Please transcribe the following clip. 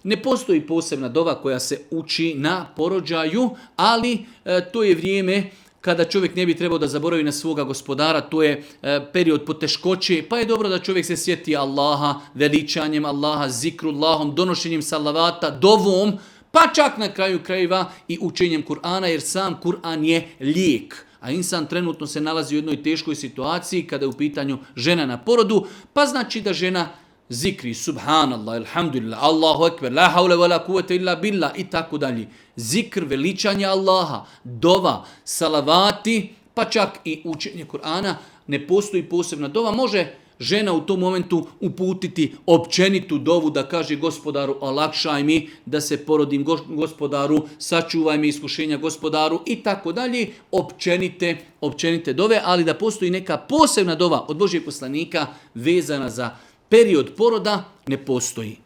Ne postoji posebna dova koja se uči na porođaju, ali to je vrijeme kada čovjek ne bi trebao da zaboravi na svoga gospodara, to je period poteškoće, pa je dobro da čovjek se sjeti Allaha, veličanjem Allaha, zikrullahom, donošenjem salavata, dovom, pa čak na kraju krajeva i učenjem Kur'ana, jer sam Kur'an je lijek. A insan trenutno se nalazi u jednoj teškoj situaciji kada je u pitanju žena na porodu, pa znači da žena zikri, subhanallah, alhamdulillah, Allahu ekber, la haule wa la kuvvete illa billah i tako dalje. Zikr, veličanje Allaha, dova, salavati, pa čak i učenje Kur'ana, ne postoji posebna dova. Može žena u tom momentu uputiti općenitu dovu da kaže gospodaru olakšaj mi da se porodim, gospodaru sačuvaj mi iskušenja, gospodaru i tako dalje. Općenite dove, ali da postoji neka posebna dova od Božjeg poslanika vezana za period poroda, ne postoji.